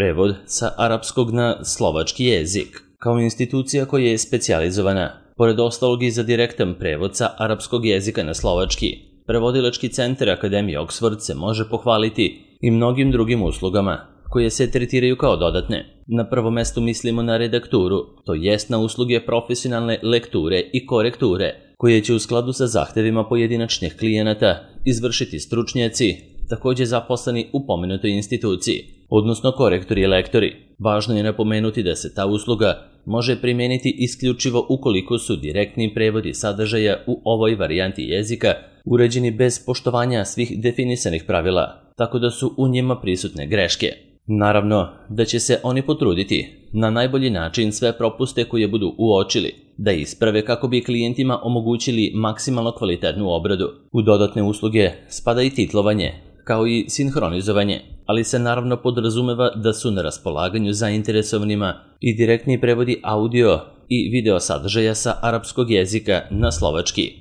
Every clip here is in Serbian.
prevod sa arapskog na slovački jezik, kao institucija koja je specijalizovana, pored ostalog i za direktan prevod sa arapskog jezika na slovački. Prevodilački centar Akademije Oxford se može pohvaliti i mnogim drugim uslugama, koje se tretiraju kao dodatne. Na prvo mesto mislimo na redakturu, to jest na usluge profesionalne lekture i korekture, koje će u skladu sa zahtevima pojedinačnih klijenata izvršiti stručnjaci, također zaposleni u pomenutoj instituciji, odnosno korektori i lektori. Važno je napomenuti da se ta usluga može primijeniti isključivo ukoliko su direktni prevodi sadržaja u ovoj varijanti jezika uređeni bez poštovanja svih definisanih pravila, tako da su u njima prisutne greške. Naravno da će se oni potruditi na najbolji način sve propuste koje budu uočili da isprave kako bi klijentima omogućili maksimalno kvalitetnu obradu. U dodatne usluge spada i titlovanje, kao i sinhronizovanje, ali se naravno podrazumeva da su na raspolaganju zainteresovanima i direktni prevodi audio i video sadržaja sa arapskog jezika na slovački.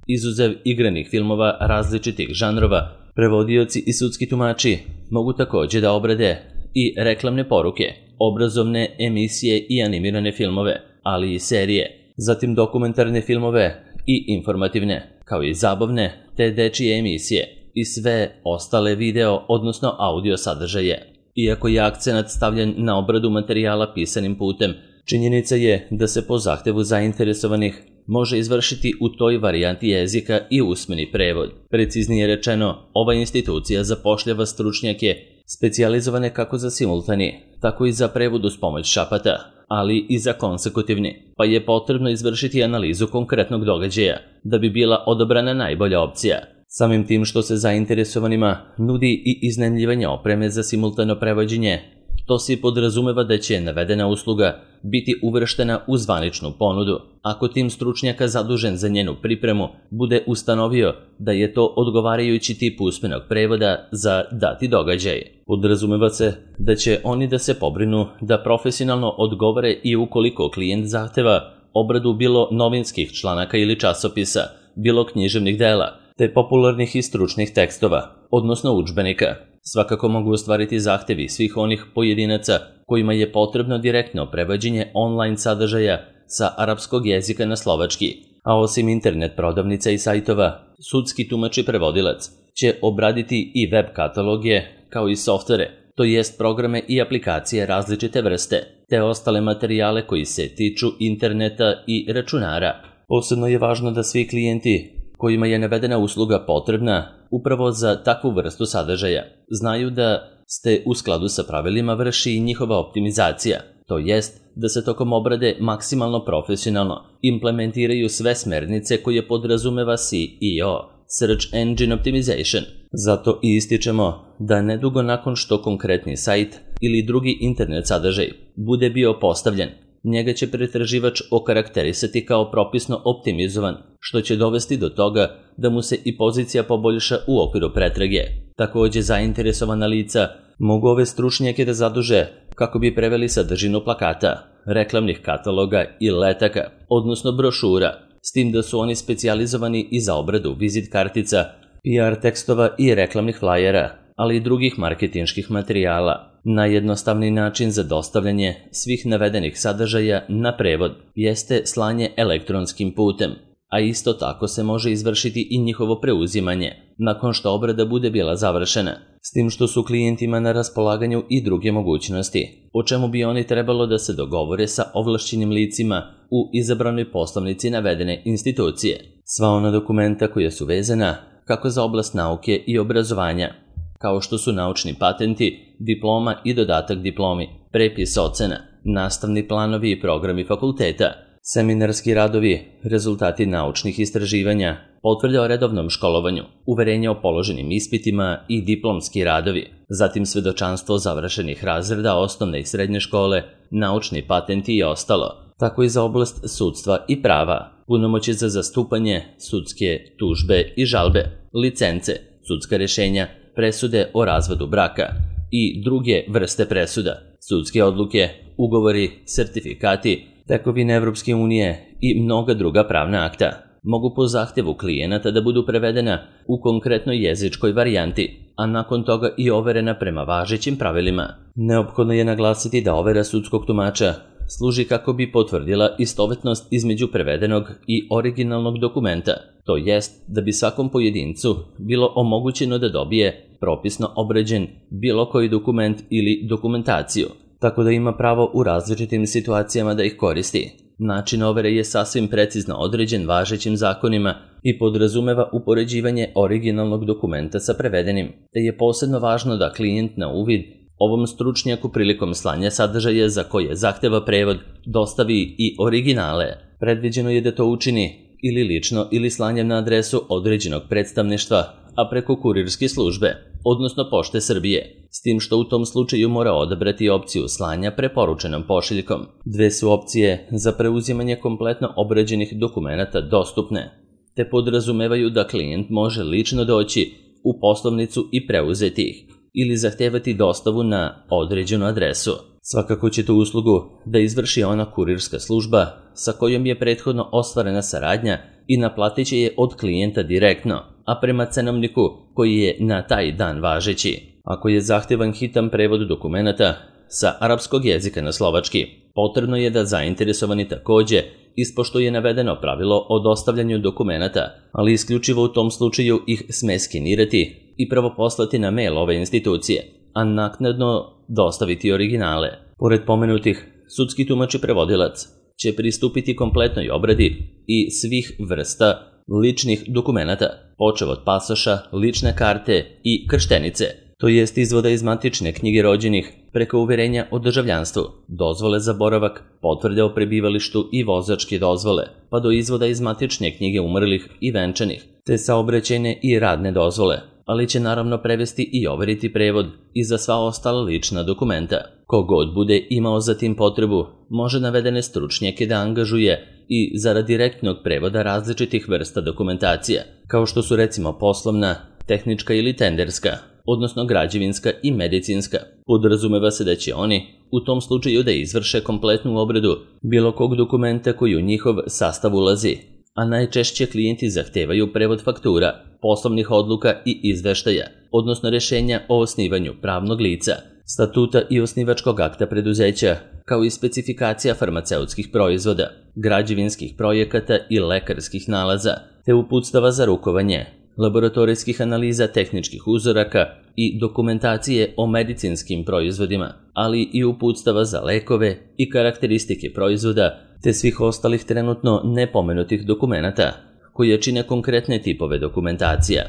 Izuzev igranih filmova različitih žanrova, prevodioci i sudski tumači mogu također da obrade i reklamne poruke, obrazovne emisije i animirane filmove, ali i serije, zatim dokumentarne filmove i informativne, kao i zabavne te dečije emisije i sve ostale video, odnosno audio sadržaje. Iako je akcenat stavljen na obradu materijala pisanim putem, činjenica je da se po zahtevu zainteresovanih može izvršiti u toj varijanti jezika i usmeni prevod. Preciznije rečeno, ova institucija zapošljava stručnjake specijalizovane kako za simultani, tako i za prevod uz pomoć šapata, ali i za konsekutivni, pa je potrebno izvršiti analizu konkretnog događaja da bi bila odabrana najbolja opcija. Samim tim što se zainteresovanima nudi i iznajmljivanje opreme za simultano prevođenje, to se podrazumeva da će navedena usluga biti uvrštena u zvaničnu ponudu, ako tim stručnjaka zadužen za njenu pripremu bude ustanovio da je to odgovarajući tip usmenog prevoda za dati događaj. Podrazumeva se da će oni da se pobrinu da profesionalno odgovore i ukoliko klijent zahteva obradu bilo novinskih članaka ili časopisa, bilo književnih dela, te popularnih i stručnih tekstova, odnosno udžbenika. Svakako mogu ostvariti zahtevi svih onih pojedinaca kojima je potrebno direktno prevođenje online sadržaja sa arapskog jezika na slovački, a osim internet prodavnica i sajtova, sudski tumač i prevodilac će obraditi i web kataloge kao i softvere, to jest programe i aplikacije različite vrste, te ostale materijale koji se tiču interneta i računara. Posebno je važno da svi klijenti kojima je navedena usluga potrebna upravo za takvu vrstu sadržaja znaju da ste u skladu sa pravilima vrši i njihova optimizacija, to jest da se tokom obrade maksimalno profesionalno implementiraju sve smernice koje podrazumeva SEO, Search Engine Optimization. Zato i ističemo da nedugo nakon što konkretni sajt ili drugi internet sadržaj bude bio postavljen, njega će pretraživač okarakterisati kao propisno optimizovan, što će dovesti do toga da mu se i pozicija poboljša u okviru pretrage. Također zainteresovana lica mogu ove stručnjake da zaduže kako bi preveli sadržinu plakata, reklamnih kataloga i letaka, odnosno brošura, s tim da su oni specijalizovani i za obradu vizit kartica, PR tekstova i reklamnih flajera, ali i drugih marketinških materijala. Najjednostavniji način za dostavljanje svih navedenih sadržaja na prevod jeste slanje elektronskim putem, a isto tako se može izvršiti i njihovo preuzimanje nakon što obrada bude bila završena, s tim što su klijentima na raspolaganju i druge mogućnosti, o čemu bi oni trebalo da se dogovore sa ovlašćenim licima u izabranoj poslovnici navedene institucije. Sva ona dokumenta koja su vezana kako za oblast nauke i obrazovanja, kao što su naučni patenti, diploma i dodatak diplomi, prepis ocena, nastavni planovi i programi fakulteta, seminarski radovi, rezultati naučnih istraživanja, potvrde o redovnom školovanju, uverenje o položenim ispitima i diplomski radovi, zatim svedočanstvo završenih razreda osnovne i srednje škole, naučni patenti i ostalo, tako i za oblast sudstva i prava, punomoći za zastupanje, sudske tužbe i žalbe, licence, sudska rješenja, presude o razvodu braka i druge vrste presuda, sudske odluke, ugovori, sertifikati, tekovine Evropske unije i mnoga druga pravna akta mogu po zahtjevu klijenata da budu prevedena u konkretnoj jezičkoj varijanti, a nakon toga i overena prema važećim pravilima. Neophodno je naglasiti da overa sudskog tumača služi kako bi potvrdila istovetnost između prevedenog i originalnog dokumenta, to jest da bi svakom pojedincu bilo omogućeno da dobije propisno obrađen bilo koji dokument ili dokumentaciju, tako da ima pravo u različitim situacijama da ih koristi. Način overe je sasvim precizno određen važećim zakonima i podrazumeva upoređivanje originalnog dokumenta sa prevedenim, te je posebno važno da klijent na uvid ovom stručnjaku prilikom slanja sadržaja za koje zahteva prevod dostavi i originale. Predviđeno je da to učini ili lično ili slanjem na adresu određenog predstavništva, a preko kurirske službe, odnosno Pošte Srbije, s tim što u tom slučaju mora odabrati opciju slanja preporučenom pošiljkom. Dve su opcije za preuzimanje kompletno obrađenih dokumenata dostupne, te podrazumevaju da klijent može lično doći u poslovnicu i preuzeti ih, ili zahtevati dostavu na određenu adresu. Svakako će tu uslugu da izvrši ona kurirska služba sa kojom je prethodno ostvarena saradnja i naplatit će je od klijenta direktno, a prema cenovniku koji je na taj dan važeći. Ako je zahtevan hitan prevod dokumenata sa arapskog jezika na slovački, potrebno je da zainteresovani takođe ispoštuje navedeno pravilo o dostavljanju dokumenata, ali isključivo u tom slučaju ih sme skenirati i prvo poslati na mail ove institucije, a naknadno dostaviti originale. Pored pomenutih, sudski tumač i prevodilac će pristupiti kompletnoj obradi i svih vrsta ličnih dokumenata, počev od pasoša, lične karte i krštenice, to jest izvoda iz matične knjige rođenih, preko uverenja o državljanstvu, dozvole za boravak, potvrde o prebivalištu i vozačke dozvole, pa do izvoda iz matične knjige umrlih i venčanih, te saobraćajne i radne dozvole, ali će naravno prevesti i overiti prevod i za sva ostala lična dokumenta. Kogod bude imao za tim potrebu, može navedene stručnjake da angažuje i zarad direktnog prevoda različitih vrsta dokumentacija, kao što su recimo poslovna, tehnička ili tenderska, odnosno građevinska i medicinska. Podrazumeva se da će oni u tom slučaju da izvrše kompletnu obradu bilo kog dokumenta koji u njihov sastav ulazi, a najčešće klijenti zahtevaju prevod faktura, poslovnih odluka i izveštaja, odnosno rešenja o osnivanju pravnog lica, statuta i osnivačkog akta preduzeća, kao i specifikacija farmaceutskih proizvoda, građevinskih projekata i lekarskih nalaza, te uputstava za rukovanje, laboratorijskih analiza tehničkih uzoraka i dokumentacije o medicinskim proizvodima, ali i uputstava za lekove i karakteristike proizvoda, te svih ostalih trenutno nepomenutih dokumenata, koje čine konkretne tipove dokumentacija.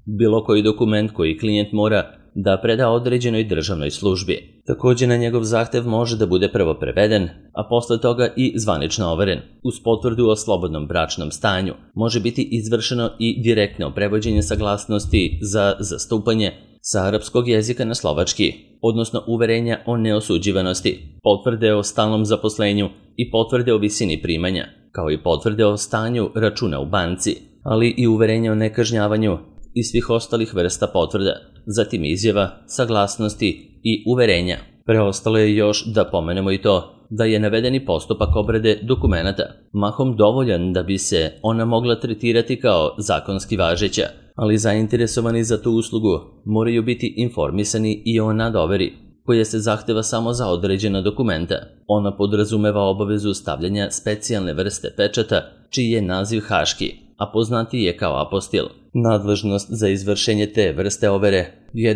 Bilo koji dokument koji klijent mora da preda određenoj državnoj službi. Takođe na njegov zahtev može da bude prvo preveden, a posle toga i zvanično overen. Uz potvrdu o slobodnom bračnom stanju može biti izvršeno i direktno prevođenje saglasnosti za zastupanje sa arapskog jezika na slovački, odnosno uverenja o neosuđivanosti, potvrde o stalnom zaposlenju i potvrde o visini primanja, kao i potvrde o stanju računa u banci, ali i uverenja o nekažnjavanju i svih ostalih vrsta potvrda, zatim izjava, saglasnosti i uverenja. Preostalo je još da pomenemo i to da je navedeni postupak obrade dokumenata mahom dovoljan da bi se ona mogla tretirati kao zakonski važeća, ali zainteresovani za tu uslugu moraju biti informisani i o nadoveri, koja se zahteva samo za određena dokumenta. Ona podrazumeva obavezu stavljanja specijalne vrste pečata, čiji je naziv haški, a poznatiji je kao apostil. Nadležnost za izvršenje te vrste overe je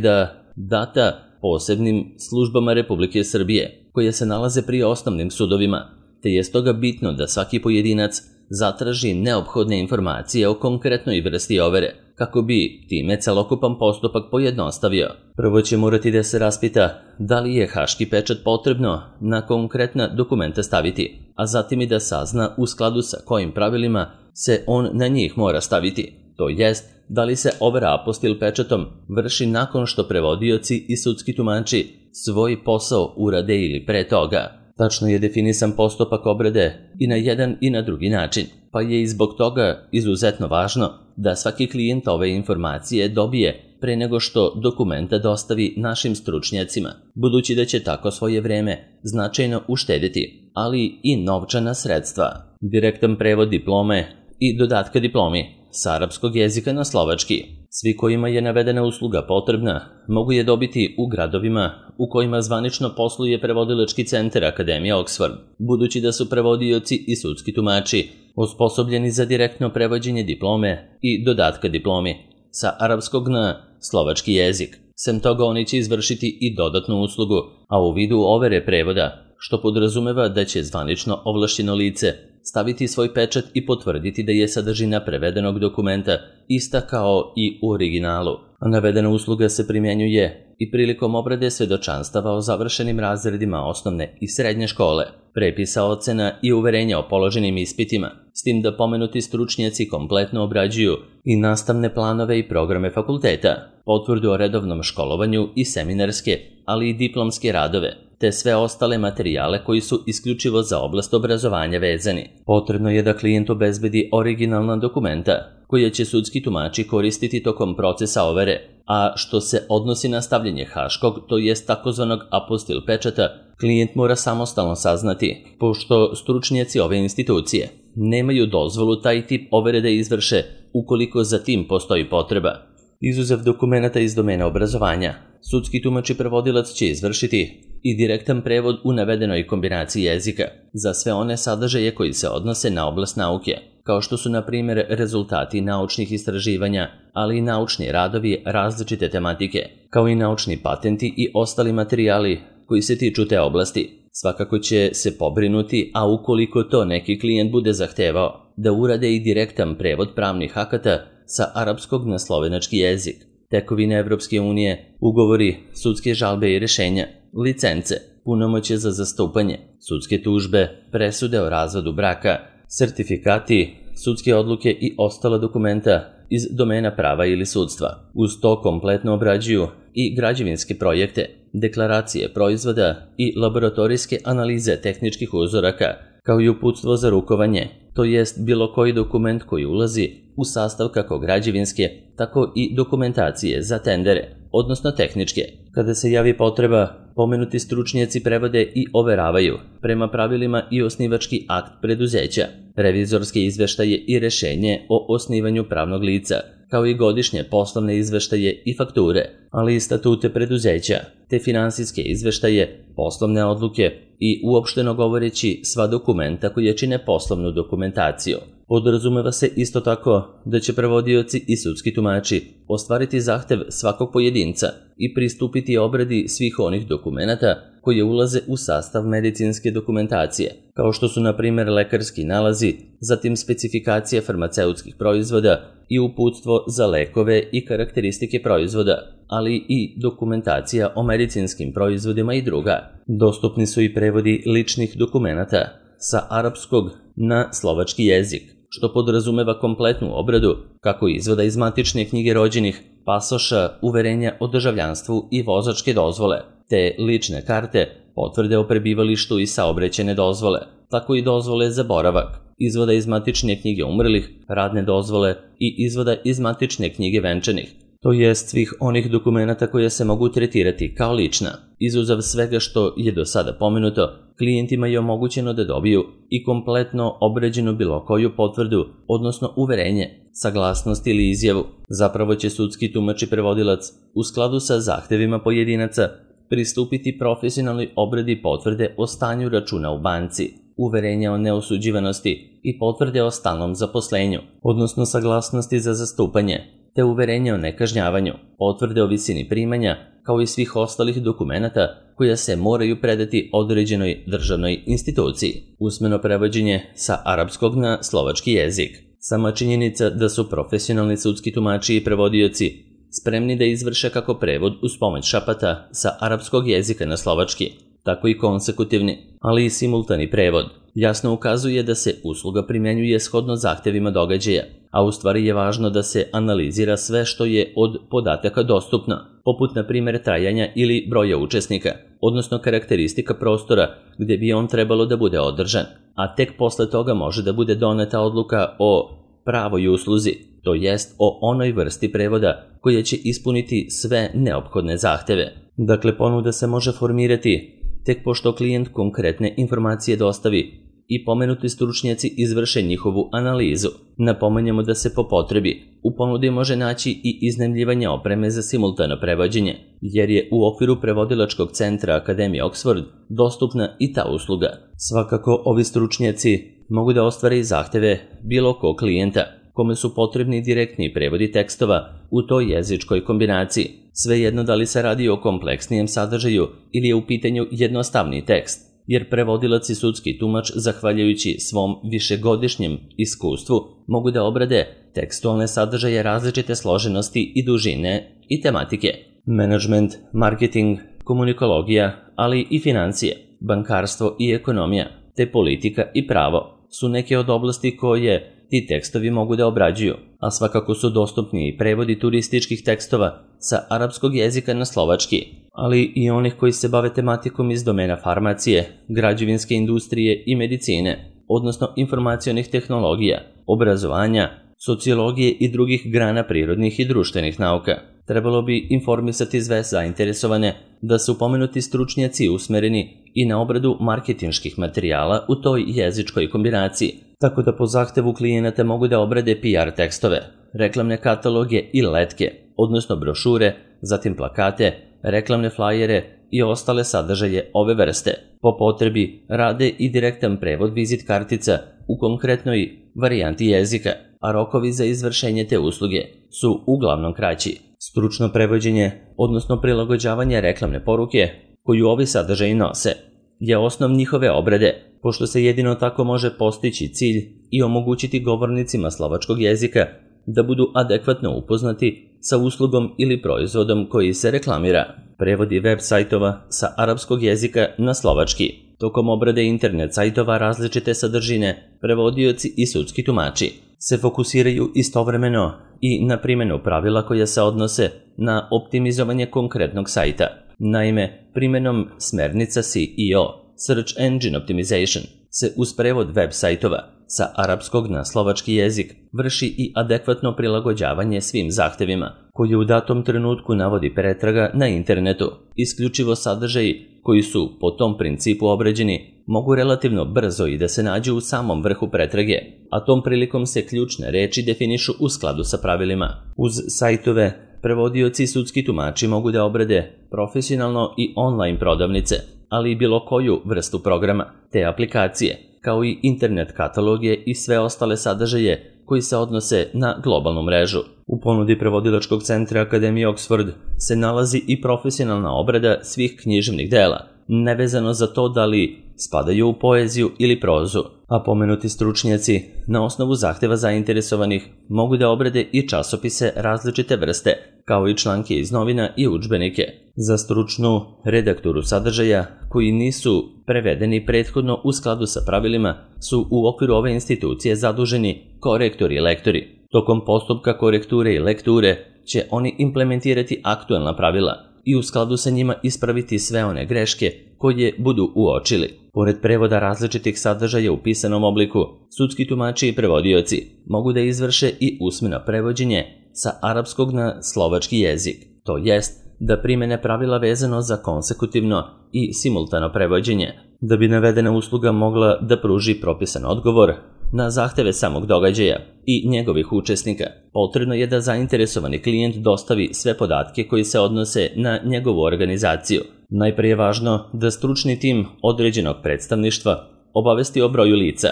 data posebnim službama Republike Srbije, koje se nalaze pri osnovnim sudovima, te je stoga bitno da svaki pojedinac zatraži neophodne informacije o konkretnoj vrsti overe, kako bi time celokupan postupak pojednostavio. Prvo će morati da se raspita da li je haški pečat potrebno na konkretna dokumenta staviti, a zatim i da sazna u skladu sa kojim pravilima se on na njih mora staviti. To jest, da li se overa apostil pečatom vrši nakon što prevodioci i sudski tumači svoj posao urade ili pre toga. Tačno je definisan postupak obrade i na jedan i na drugi način, pa je i zbog toga izuzetno važno da svaki klijent ove informacije dobije pre nego što dokumenta dostavi našim stručnjacima, budući da će tako svoje vreme značajno uštediti, ali i novčana sredstva. Direktan prevod diplome i dodatka diplomi sa arapskog jezika na slovački. Svi kojima je navedena usluga potrebna mogu je dobiti u gradovima u kojima zvanično posluje prevodilački centar Akademije Oxford, budući da su prevodioci i sudski tumači osposobljeni za direktno prevođenje diplome i dodatka diplomi sa arapskog na slovački jezik. Sem toga oni će izvršiti i dodatnu uslugu, a u vidu overe prevoda, što podrazumeva da će zvanično ovlašćeno lice staviti svoj pečat i potvrditi da je sadržina prevedenog dokumenta ista kao i u originalu. A navedena usluga se primjenjuje i prilikom obrade svedočanstava o završenim razredima osnovne i srednje škole, prepisa ocena i uverenja o položenim ispitima, s tim da pomenuti stručnjaci kompletno obrađuju i nastavne planove i programe fakulteta, potvrdu o redovnom školovanju i seminarske, ali i diplomske radove, te sve ostale materijale koji su isključivo za oblast obrazovanja vezani. Potrebno je da klijent obezbedi originalna dokumenta koje će sudski tumači koristiti tokom procesa overe, a što se odnosi na stavljanje haškog, to jest takozvanog apostil pečata, klijent mora samostalno saznati, pošto stručnjaci ove institucije nemaju dozvolu taj tip overe da izvrše ukoliko za tim postoji potreba. Izuzev dokumenata iz domena obrazovanja, sudski tumač i prevodilac će izvršiti i direktan prevod u navedenoj kombinaciji jezika za sve one sadržaje koji se odnose na oblast nauke, kao što su na primjer rezultati naučnih istraživanja, ali i naučni radovi različite tematike, kao i naučni patenti i ostali materijali koji se tiču te oblasti. Svakako će se pobrinuti, a ukoliko to neki klijent bude zahtevao, da urade i direktan prevod pravnih akata sa arapskog na slovenački jezik, tekovine Evropske unije, ugovori, sudske žalbe i rešenja, licence, punomoćje za zastupanje, sudske tužbe, presude o razvodu braka, sertifikati, sudske odluke i ostala dokumenta iz domena prava ili sudstva. Uz to kompletno obrađuju i građevinske projekte, deklaracije proizvoda i laboratorijske analize tehničkih uzoraka, kao i uputstvo za rukovanje, to jest bilo koji dokument koji ulazi u sastav kako građevinske, tako i dokumentacije za tendere, odnosno tehničke. Kada se javi potreba, pomenuti stručnjaci prevode i overavaju prema pravilima i osnivački akt preduzeća, revizorske izveštaje i rešenje o osnivanju pravnog lica, kao i godišnje poslovne izveštaje i fakture, ali i statute preduzeća, te finansijske izveštaje, poslovne odluke i uopšteno govoreći sva dokumenta koje čine poslovnu dokumentaciju. Podrazumeva se isto tako da će prevodioci i sudski tumači ostvariti zahtev svakog pojedinca i pristupiti obradi svih onih dokumenata koje ulaze u sastav medicinske dokumentacije, kao što su na primjer lekarski nalazi, zatim specifikacija farmaceutskih proizvoda i uputstvo za lekove i karakteristike proizvoda, ali i dokumentacija o medicinskim proizvodima i druga. Dostupni su i prevodi ličnih dokumenata sa arapskog na slovački jezik, što podrazumeva kompletnu obradu kako izvoda iz matične knjige rođenih, pasoša, uverenja o državljanstvu i vozačke dozvole, te lične karte, potvrde o prebivalištu i saobraćajne dozvole, tako i dozvole za boravak, izvoda iz matične knjige umrlih, radne dozvole i izvoda iz matične knjige venčanih, to jest svih onih dokumenata koje se mogu tretirati kao lična. Izuzav svega što je do sada pomenuto, klijentima je omogućeno da dobiju i kompletno obrađenu bilo koju potvrdu, odnosno uverenje, saglasnost ili izjavu. Zapravo će sudski tumač i prevodilac u skladu sa zahtevima pojedinaca pristupiti profesionalnoj obradi potvrde o stanju računa u banci, uverenja o neosuđivanosti i potvrde o stalnom zaposlenju, odnosno saglasnosti za zastupanje, te uverenje o nekažnjavanju, potvrde o visini primanja, kao i svih ostalih dokumenata koja se moraju predati određenoj državnoj instituciji. Usmeno prevođenje sa arapskog na slovački jezik. Sama činjenica da su profesionalni sudski tumači i prevodioci spremni da izvrše kako prevod uz pomoć šapata sa arapskog jezika na slovački, tako i konsekutivni, ali i simultani prevod, jasno ukazuje da se usluga primjenjuje shodno zahtevima događaja, a u stvari je važno da se analizira sve što je od podataka dostupno, poput na primjer trajanja ili broja učesnika, odnosno karakteristika prostora gdje bi on trebalo da bude održan, a tek posle toga može da bude doneta odluka o pravoj usluzi, to jest o onoj vrsti prevoda koja će ispuniti sve neophodne zahteve. Dakle, ponuda se može formirati tek pošto klijent konkretne informacije dostavi i pomenuti stručnjaci izvrše njihovu analizu. Napominjemo da se po potrebi u ponudi može naći i iznajmljivanje opreme za simultano prevođenje, jer je u okviru prevodilačkog centra Akademije Oxford dostupna i ta usluga. Svakako, ovi stručnjaci mogu da ostvare i zahteve bilo kog klijenta, kome su potrebni direktni prevodi tekstova u toj jezičkoj kombinaciji, svejedno da li se radi o kompleksnijem sadržaju ili je u pitanju jednostavni tekst, jer prevodilac i sudski tumač, zahvaljujući svom višegodišnjem iskustvu, mogu da obrade tekstualne sadržaje različite složenosti i dužine i tematike. Menadžment, marketing, komunikologija, ali i financije, bankarstvo i ekonomija, te politika i pravo su neke od oblasti koje ti tekstovi mogu da obrađuju, a svakako su dostupni i prevodi turističkih tekstova sa arapskog jezika na slovački, ali i onih koji se bave tematikom iz domena farmacije, građevinske industrije i medicine, odnosno informacionih tehnologija, obrazovanja, sociologije i drugih grana prirodnih i društvenih nauka. Trebalo bi informisati sve zainteresovane da su pomenuti stručnjaci usmereni i na obradu marketinških materijala u toj jezičkoj kombinaciji, tako da po zahtevu klijenata mogu da obrade PR tekstove, reklamne kataloge i letke, odnosno brošure, zatim plakate, reklamne flajere i ostale sadržaje ove vrste. Po potrebi rade i direktan prevod vizit kartica u konkretnoj varijanti jezika, a rokovi za izvršenje te usluge su uglavnom kraći. Stručno prevođenje, odnosno prilagođavanje reklamne poruke koju ovi sadržaji nose, je osnov njihove obrade, pošto se jedino tako može postići cilj i omogućiti govornicima slovačkog jezika da budu adekvatno upoznati sa uslugom ili proizvodom koji se reklamira. Prevodi web sajtova sa arapskog jezika na slovački. Tokom obrade internet sajtova različite sadržine, prevodioci i sudski tumači se fokusiraju istovremeno i na primjenu pravila koja se odnose na optimizovanje konkretnog sajta. Naime, primjenom smernica SEO, Search Engine Optimization, se uz prevod web sajtova sa arapskog na slovački jezik vrši i adekvatno prilagođavanje svim zahtevima koji u datom trenutku navodi pretraga na internetu. Isključivo sadržaji koji su po tom principu obrađeni mogu relativno brzo i da se nađu u samom vrhu pretrage, a tom prilikom se ključne reči definišu u skladu sa pravilima. Uz sajtove, prevodioci i sudski tumači mogu da obrade profesionalno i online prodavnice, ali i bilo koju vrstu programa te aplikacije, kao i internet kataloge i sve ostale sadržaje koji se odnose na globalnu mrežu. U ponudi prevodilačkog centra Akademije Oxford se nalazi i profesionalna obrada svih književnih dela, nevezano za to da li spadaju u poeziju ili prozu, a pomenuti stručnjaci na osnovu zahteva zainteresovanih mogu da obrade i časopise različite vrste, kao i članke iz novina i udžbenike. Za stručnu redakturu sadržaja koji nisu prevedeni prethodno u skladu sa pravilima su u okviru ove institucije zaduženi korektori i lektori. Tokom postupka korekture i lekture će oni implementirati aktuelna pravila i u skladu sa njima ispraviti sve one greške koje budu uočili. Pored prevoda različitih sadržaja u pisanom obliku, sudski tumači i prevodioci mogu da izvrše i usmeno prevođenje sa arapskog na slovački jezik, to jest da primene pravila vezano za konsekutivno i simultano prevođenje. Da bi navedena usluga mogla da pruži propisan odgovor na zahteve samog događaja i njegovih učesnika, potrebno je da zainteresovani klijent dostavi sve podatke koji se odnose na njegovu organizaciju. Najprije je važno da stručni tim određenog predstavništva obavesti o broju lica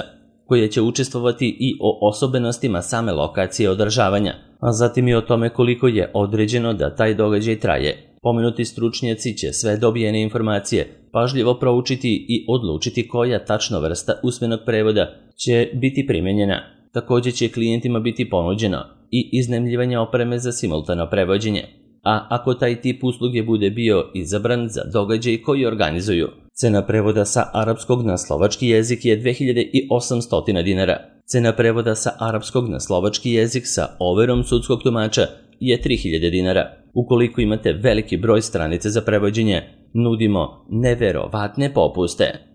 koje će učestvovati i o osobenostima same lokacije održavanja, a zatim i o tome koliko je određeno da taj događaj traje. Pomenuti stručnjaci će sve dobijene informacije pažljivo proučiti i odlučiti koja tačno vrsta usmenog prevoda će biti primjenjena. Također će klijentima biti ponuđeno i iznajmljivanje opreme za simultano prevođenje, a ako taj tip usluge bude bio izabran za događaj koji organizuju. Cena prevoda sa arapskog na slovački jezik je 2800 dinara. Cena prevoda sa arapskog na slovački jezik sa overom sudskog tumača je 3000 dinara. Ukoliko imate veliki broj stranice za prevođenje, nudimo neverovatne popuste.